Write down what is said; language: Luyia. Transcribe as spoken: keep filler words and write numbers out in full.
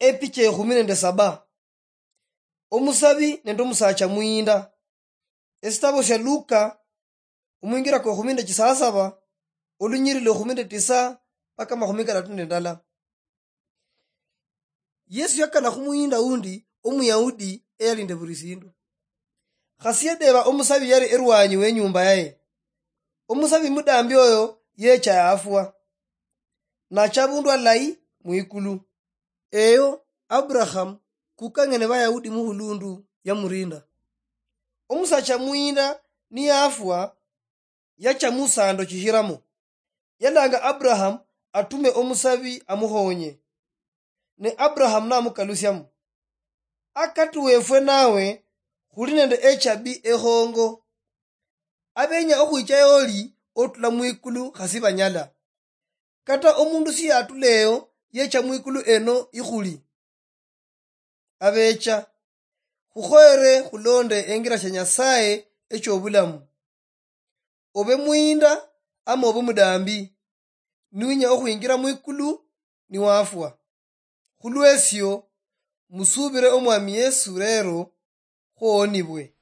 Epicha ekhumi nende saba. Omusabi nende omusacha muyinda. Esitabo sia Luka, omwingira kwa ekhumi nende chisasaba, olunyiriri lwa ekhumi nende tisa mpaka amakhumi karatu nende ndala. Yesu yakana khumuyinda undi Omuyahudi eyalinde buli sindu. Khasi yedeba omusabi yali erwanyi wenyumba yaye. Omusabi mudambi oyo yecha yafwa, nacha abundu alayi mwikulu. Eyo Abraham kukang'ene Bayahudi muhulundu yamurinda. Omusacha muyinda niyafwa, yacha musando chihiramo. Yalanga Abraham atume omusabi amuhonye. Ne Abraham namukalusiamo, "Akati wefwe nawe khuli nende echabi ehongo. Abenya okhwicha eoli otula mwikulu khasi banyala. Kata omundu siyatula eyo yecha mwikulu eno ikhuli." Abecha, khukhoyere khulonde engira sha Nyasaye echobulamu. Obe muyinda ama obe mudambi, niwinya okhwingira mwikulu niwafwa. Khulwesio, musubire Omwami Yesu rero, khuhonibwe.